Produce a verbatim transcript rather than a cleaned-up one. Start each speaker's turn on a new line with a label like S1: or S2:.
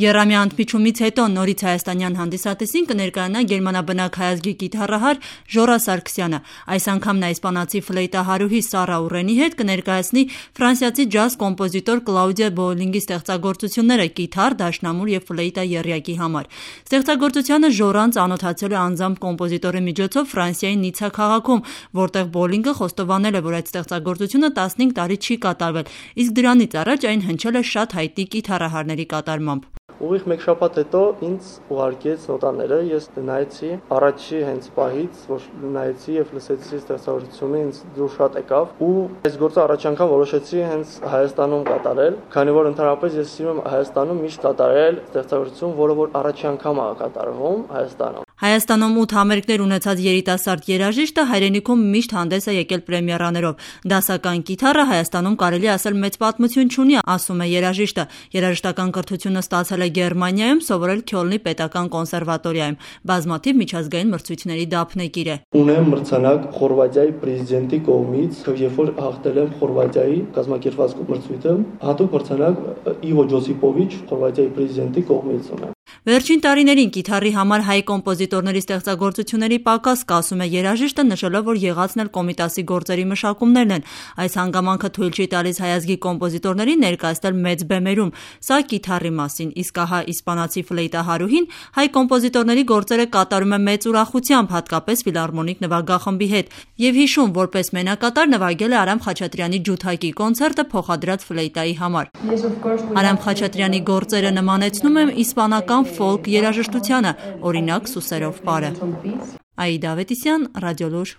S1: Եռամյա ընդմիջումից հետո նորից հայաստանյան հանդիսատեսին կներկայանա գերմանաբնակ հայազգի կիթառահար Ժորա Սարգսյանը։ Այս անգամ նա իսպանացի ֆլեյտահարուհի Սառա Ուրենի հետ կներկայացնի ֆրանսիացի ջազ կոմպոզիտոր Կլաուդիա Բոուլինգի ստեղծագործությունները կիթառ, դաշնամուր և ֆլեյտա եռյակի համար։ Ստեղծագործությանը Ժորան ծանոթացել է անձամբ կոմպոզիտորի միջոցով Ֆրանսիայի Նիցցա քաղաքում, որտեղ Բոուլինգը խոստովանել է, որ այդ ստեղծագործությունը տասնհինգ տարի չի կատարվել, իսկ դրանից առաջ այն հնչել է շատ հայտնի կիթառահարների կատարմամբ։
S2: Ուղիղ մեկ շաբաթ հետո ինձ ուղարկեց նոտաները, ես նայեցի, առաջի հենց պահից, որ նայեցի եւ լսեցի ստեղծագործությունը, ինձ դուր շատ եկավ ու այս գործը առաջ անգամ որոշեցի հենց Հայաստանում կատարել, քանի որ ընդհանրապես ես սիրում եմ Հայաստանում միշտ կատարել ստեղծագործություն, որը որ առաջի անգամ է կատարվում Հայաստանում։
S1: Հայաստանում ութ համերգներ ունեցած երիտասարդ երաժիշտը հայրենիքում միշտ հանդես է եկել պրեմիերաներով։ Դասական կիթառը Հայաստանում կարելի ասել մեծ պատմություն չունի, ասում է երաժիշտը։ Երաժշտական կրթությունը ստացել է Գերմանիայում, սովորել Քյոլնի պետական կոնսերվատորիայում։ Բազմաթիվ միջազգային մրցույթների դափնեկիր է։
S2: Ունեմ մրցանակ Խորվաթիայի պրեզիդենտի կողմից, երբ որ հաղթել եմ Խորվաթիայի կազմակերպված մրցույթը, հատուկ մրցանակ Իվո Ջոսիպովիչ Խորվաթիայի պրեզիդենտի կողմից ունեմ։
S1: Վերջին տարիներին կիթառի համար հայ կոմպոզիտորների ստեղծագործությունների պակաս կա, ասում է երաժիշտը, նշելով, որ եղածն էլ Կոմիտասի գործերի մշակումներն են։ Այս հանգամանքը թույլ չի տալիս հայազգի կոմպոզիտորներին ներկայացնել մեծ բեմերում։ Սա կիթառի մասին, իսկ ահա իսպանացի ֆլեյտահարուհին հայ կոմպոզիտորների գործերը կատարում է մեծ ուրախությամբ, հատկապես ֆիլհարմոնիկ նվագախմբի հետ, եւ հիշում, որպես մենակատար նվագել է Արամ Խաչատրյանի ջութակի կոնցերտը փոխադրած ֆլեյտայի համար։ Արամ Խաչատրյանի գործերը նմանեցնում եմ իսպանական ֆոլք երաժշտությանը, օրինակ Սուսերով պարը։ Աիդա Ավետիսյան, Ռադիոլուր։